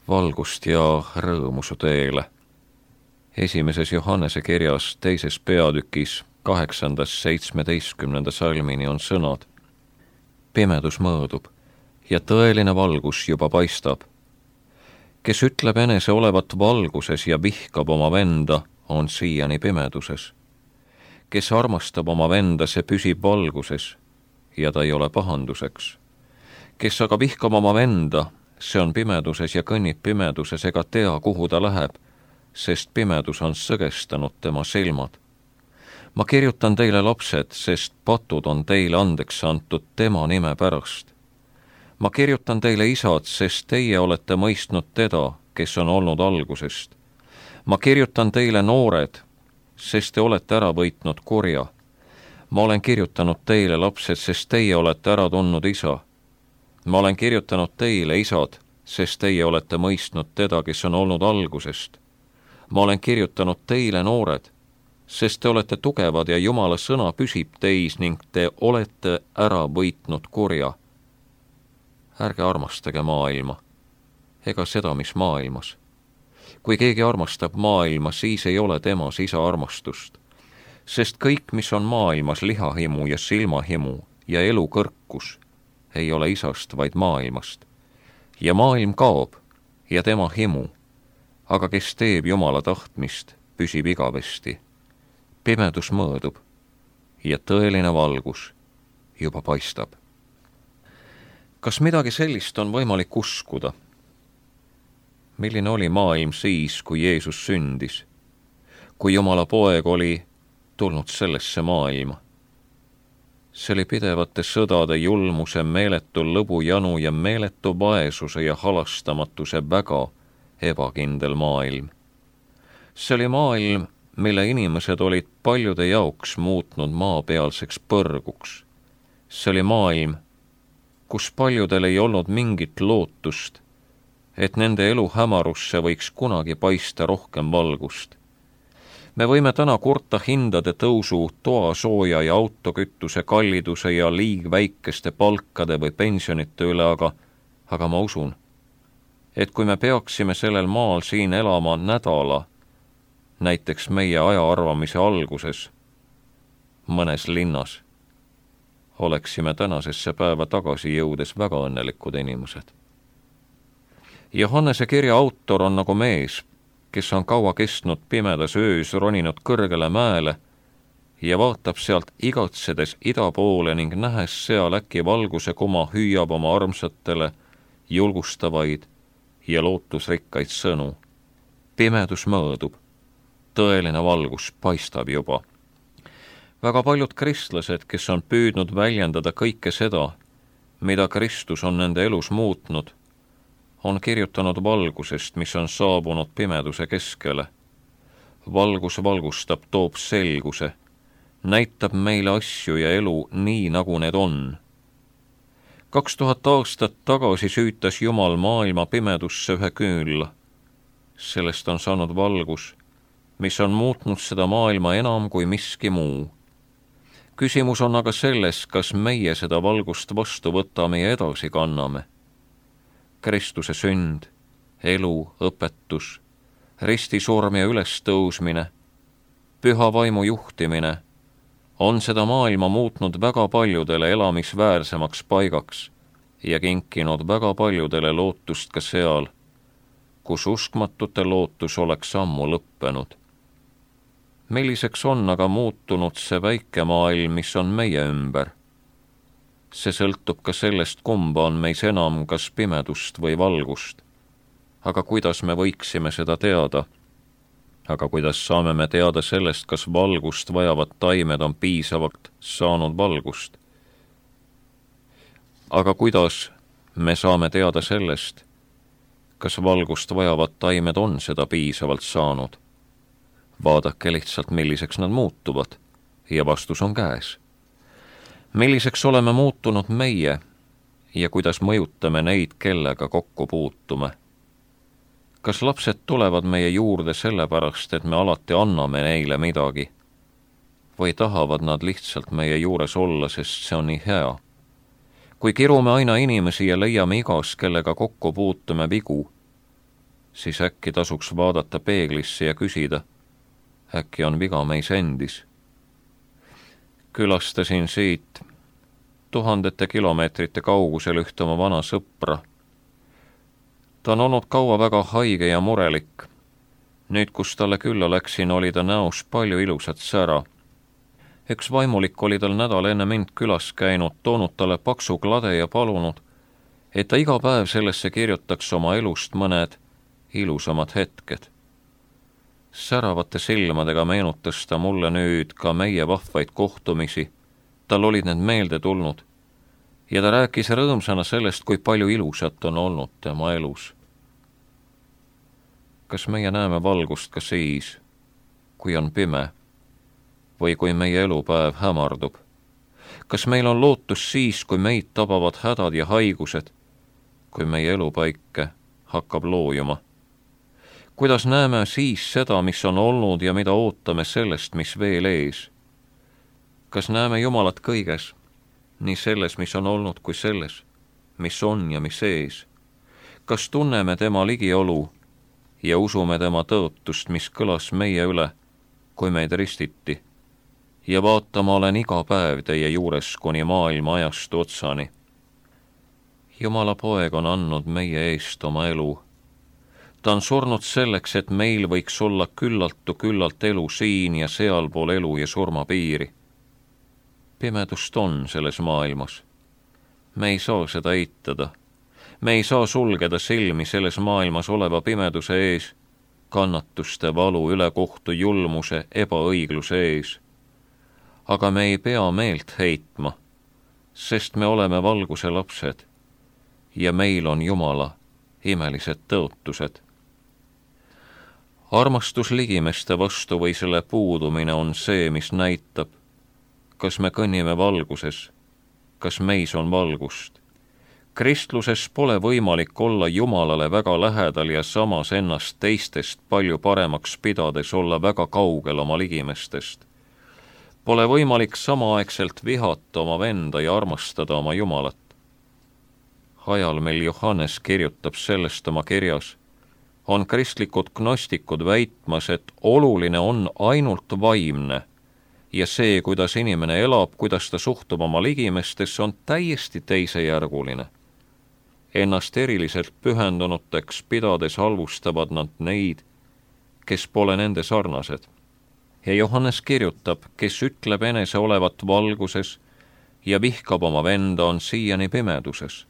valgust ja rõõmu su teele. Esimeses Johannese kirjas 2. peatükis 8.–17. salmini on sõnad: pimedus mõõdub ja tõeline valgus juba paistab. Kes ütleb enese olevat valguses ja vihkab oma venda, on siiani pimeduses. Kes armastab oma venda, see püsib valguses ja ta ei ole pahanduseks. Kes aga vihkab oma venda, see on pimeduses ja kõnnib pimeduses ega tea, kuhu ta läheb, sest pimedus on sõgestanud tema silmad. Ma kirjutan teile, lapsed, sest patud on teile andeks antud tema nime pärast. Ma kirjutan teile, isad, sest teie olete mõistnud teda, kes on olnud algusest. Ma kirjutan teile, noored, sest te olete ära võitnud kurja. Ma olen kirjutanud teile, lapsed, sest teie olete ära tundnud isa. Ma olen kirjutanud teile, isad, sest teie olete mõistnud teda, kes on olnud algusest. Ma olen kirjutanud teile, noored, sest te olete tugevad ja Jumala sõna püsib teis ning te olete ära võitnud kurja. Ärge armastage maailma, ega seda, mis maailmas. Kui keegi armastab maailma, siis ei ole temas isa armastust. Sest kõik, mis on maailmas, lihahimu ja silmahimu ja elu kõrkus, ei ole isast, vaid maailmast. Ja maailm kaob ja tema himu, aga kes teeb Jumala tahtmist, püsib igavesti. Pimedus mõõdub ja tõeline valgus juba paistab. Kas midagi sellist on võimalik uskuda? Milline oli maailm siis, kui Jeesus sündis? Kui Jumala poeg oli tulnud sellesse maailma? See oli pidevate sõdade, julmuse, meeletu lõbujanu ja meeletu vaesuse ja halastamatuse väga ebakindel maailm. See oli maailm, mille inimesed olid paljude jaoks muutnud maapealseks põrguks. See oli maailm, kus paljudel ei olnud mingit lootust, et nende elu hämarusse võiks kunagi paista rohkem valgust. Me võime täna kurta hindade tõusu, toasooja ja autokütuse kalliduse ja liigväikeste palkade või pensionite üle, aga ma usun, et kui me peaksime sellel maal siin elama nädala, näiteks meie ajaarvamise alguses, mõnes linnas, oleksime tänasesse päeva tagasi jõudes väga õnnelikud inimesed. Johannese kirja autor on nagu mees, kes on kaua kestnud pimedas öös roninud kõrgele mäele ja vaatab sealt igatsedes ida poole ning nähes seal äkki valguse kuma hüüab oma armsatele julgustavaid ja lootusrikkaid sõnu. Pimedus mõõdub, tõeline valgus paistab juba. Väga paljud kristlased, kes on püüdnud väljendada kõike seda, mida Kristus on nende elus muutnud, on kirjutanud valgusest, mis on saabunud pimeduse keskele. Valgus valgustab, toob selguse, näitab meile asju ja elu nii, nagu need on. 2000 aastat tagasi süütas Jumal maailma pimedusse ühe küünla. Sellest on saanud valgus, mis on muutnud seda maailma enam kui miski muu. Küsimus on aga selles, kas meie seda valgust vastu võtame ja edasi kanname. Kristuse sünd, elu, õpetus, ristisurm ja ülestõusmine, püha vaimu juhtimine on seda maailma muutnud väga paljudele elamisväärsemaks paigaks ja kinkinud väga paljudele lootust ka seal, kus uskmatute lootus oleks ammu lõppenud. Milliseks on aga muutunud see väike maailm, mis on meie ümber? See sõltub ka sellest, kumba on meis enam, kas pimedust või valgust. Aga kuidas me võiksime seda teada? Aga kuidas saame me teada sellest, kas valgust vajavad taimed on piisavalt saanud valgust? Aga kuidas me saame teada sellest, kas valgust vajavad taimed on seda piisavalt saanud? Vaadake lihtsalt, milliseks nad muutuvad, ja vastus on käes. Milliseks oleme muutunud meie ja kuidas mõjutame neid, kellega kokku puutume? Kas lapsed tulevad meie juurde sellepärast, et me alati anname neile midagi? Või tahavad nad lihtsalt meie juures olla, sest see on nii hea? Kui kirume aina inimesi ja leiame igas, kellega kokku puutume vigu, siis äkki tasuks vaadata peeglisse ja küsida, äkki on viga meis endis. Külastasin siit tuhandete kilomeetrite kaugusel ühte oma vana sõpra. Ta on olnud kaua väga haige ja murelik. Nüüd, kus talle külla läksin, oli ta näos palju ilusat sära. Üks vaimulik oli tal nädal enne mind külas käinud, toonud talle paksu klade ja palunud, et ta iga päev sellesse kirjutaks oma elust mõned ilusamad hetked. Säravate silmadega meenutas ta mulle nüüd ka meie vahvaid kohtumisi. Tal olid need meelde tulnud ja ta rääkis rõõmsana sellest, kui palju ilusat on olnud tema elus. Kas meie näeme valgust ka siis, kui on pime või kui meie elupäev hämardub? Kas meil on lootus siis, kui meid tabavad hädad ja haigused, kui meie elupaike hakkab loojuma? Kuidas näeme siis seda, mis on olnud ja mida ootame sellest, mis veel ees? Kas näeme Jumalat kõiges, nii selles, mis on olnud, kui selles, mis on ja mis ees? Kas tunneme tema ligiolu ja usume tema tõotust, mis kõlas meie üle, kui meid ristiti? Ja vaatama olen iga päev teie juures kuni maailma ajastu otsani. Jumala poeg on andnud meie eest oma elu. Ta on surnud selleks, et meil võiks olla küllalt elu siin ja sealpool elu ja surma piiri. Pimedust on selles maailmas. Me ei saa seda eitada. Me ei saa sulgeda silmi selles maailmas oleva pimeduse ees, kannatuste, valu, ülekohtu, julmuse, ebaõigluse ees. Aga me ei pea meelt heitma, sest me oleme valguse lapsed ja meil on Jumala imelised tõotused. Armastus ligimeste vastu või selle puudumine on see, mis näitab, kas me kõnnime valguses, kas meis on valgust. Kristluses pole võimalik olla Jumalale väga lähedal ja samas ennast teistest palju paremaks pidades olla väga kaugel oma ligimestest. Pole võimalik samaaegselt vihata oma venda ja armastada oma Jumalat. Ajal meil Johannes kirjutab sellest oma kirjas, on kristlikud gnostikud väitmas, et oluline on ainult vaimne ja see, kuidas inimene elab, kuidas ta suhtub oma ligimestesse, on täiesti teisejärguline. Ennast eriliselt pühendunuteks pidades halvustavad nad neid, kes pole nende sarnased. Ja Johannes kirjutab, kes ütleb enese olevat valguses ja vihkab oma venda, on siiani pimeduses.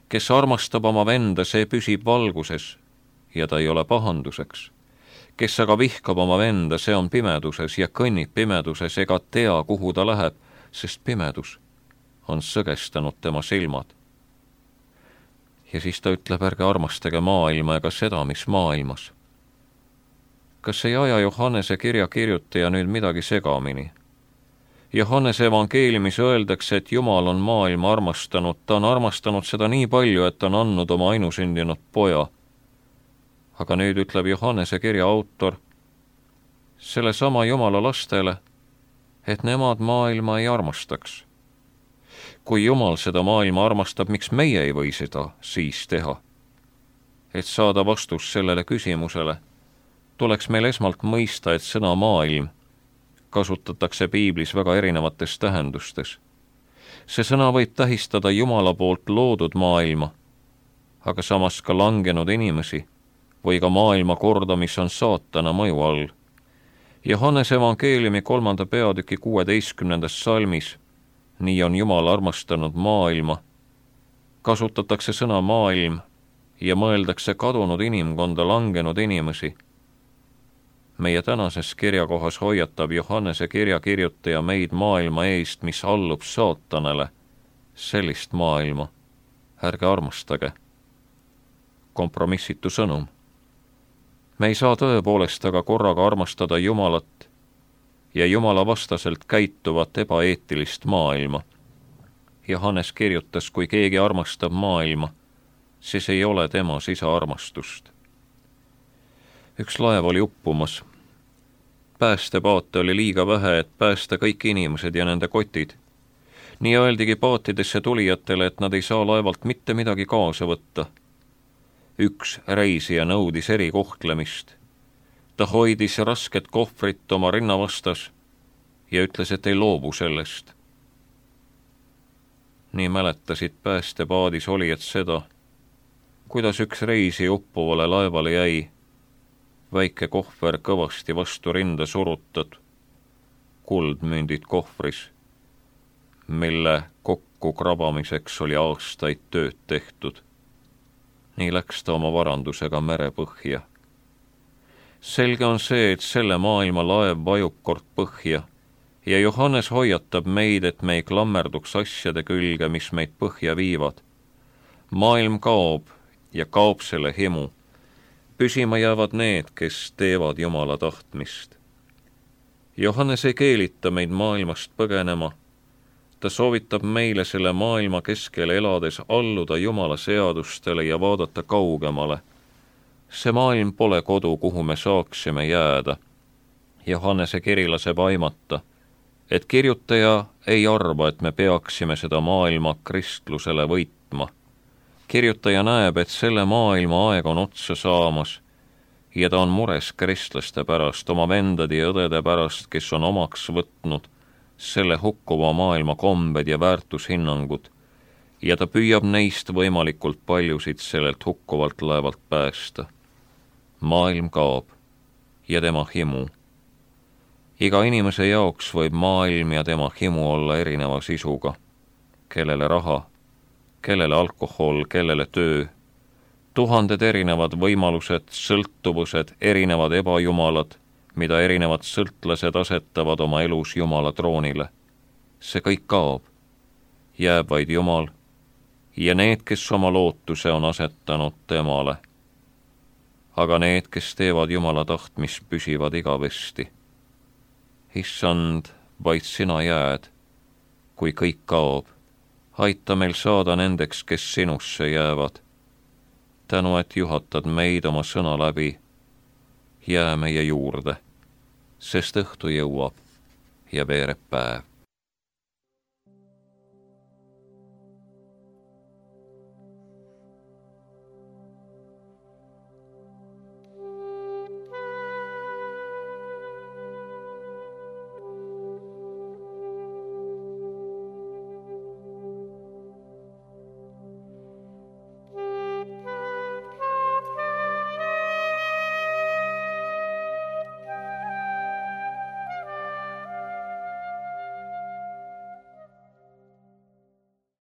Kes armastab oma venda, see püsib valguses ja ta ei ole pahanduseks. Kes aga vihkab oma venda, see on pimeduses ja kõnnib pimeduses ega tea, kuhu ta läheb, sest pimedus on sõgestanud tema silmad. Ja siis ta ütleb, ärge armastage maailma ega seda, mis maailmas. Kas ei aja Johannese kirja kirjutaja nüüd midagi segamini? Johannese evangeeliumis öeldakse, et Jumal on maailma armastanud, ta on armastanud seda nii palju, et ta on andnud oma ainusündinud poja. Aga nüüd ütleb Johannese kirja autor selle sama Jumala lastele, et nemad maailma ei armastaks. Kui Jumal seda maailma armastab, miks meie ei või seda siis teha? Et saada vastus sellele küsimusele, tuleks meil esmalt mõista, et sõna maailm kasutatakse piiblis väga erinevates tähendustes. See sõna võib tähistada Jumala poolt loodud maailma, aga samas ka langenud inimesi või ka maailma korda, mis on saatana mõju all. Johannese evangeeliumi 3. peatüki 16. salmis, nii on Jumal armastanud maailma, kasutatakse sõna maailm ja mõeldakse kadunud inimkonda, langenud inimesi. Meie tänases kirjakohas hoiatab Johannese kirja kirjutaja meid maailma eest, mis allub saatanale. Sellist maailma ärge armastage. Kompromissitu sõnum. Me ei saa tõepoolest aga korraga armastada Jumalat ja Jumala vastaselt käituvat ebaeetilist maailma. Johannes kirjutas, kui keegi armastab maailma, siis ei ole temas isa armastust. Üks laev oli uppumas. Päästepaate oli liiga vähe, et päästa kõik inimesed ja nende kotid. Nii öeldigi paatidesse tulijatele, et nad ei saa laevalt mitte midagi kaasa võtta. üks reisija nõudis erikohtlemist. Ta hoidis rasket kohvrit oma rinna vastas ja ütles, et ei loobu sellest. Nii mäletasid päästepaadis olijad seda, kuidas üks reisi uppuvale laevale jäi, väike kohver kõvasti vastu rinda surutad, kuldmündid kohvris, mille kokku krabamiseks oli aastaid tööd tehtud. Nii läks ta oma varandusega merepõhja. Selge on see, et selle maailma laev vajub kord põhja ja Johannes hoiatab meid, et me ei klammerduks asjade külge, mis meid põhja viivad. Maailm kaob ja kaob selle himu. Püsima jäävad need, kes teevad Jumala tahtmist. Johannes ei keelita meid maailmast põgenema. Ta soovitab meile selle maailma keskel elades alluda Jumala seadustele ja vaadata kaugemale. See maailm pole kodu, kuhu me saaksime jääda. Johannese kiri laseb aimata, et kirjutaja ei arva, et me peaksime seda maailma kristlusele võitma. Kirjutaja näeb, et selle maailma aeg on otsa saamas ja ta on mures kristlaste pärast, oma vendade ja õdede pärast, kes on omaks võtnud selle hukkuva maailma kombed ja väärtushinnangud ja ta püüab neist võimalikult paljusid sellelt hukkuvalt laevalt päästa. Maailm kaob ja tema himu. Iga inimese jaoks võib maailm ja tema himu olla erineva sisuga. Kellele raha, kellele alkohol, kellele töö. Tuhanded erinevad võimalused, sõltuvused, erinevad ebajumalad, mida erinevad sõltlased asetavad oma elus Jumala troonile. See kõik kaob. Jääb vaid Jumal ja need, kes oma lootuse on asetanud temale. Aga need, kes teevad Jumala tahtmist, püsivad igavesti. Issand, vaid sina jääd, kui kõik kaob. Aita meil saada nendeks, kes sinusse jäävad. Tänu, et juhatad meid oma sõna läbi. Jää meie juurde, sest õhtu jõuab ja veereb päev.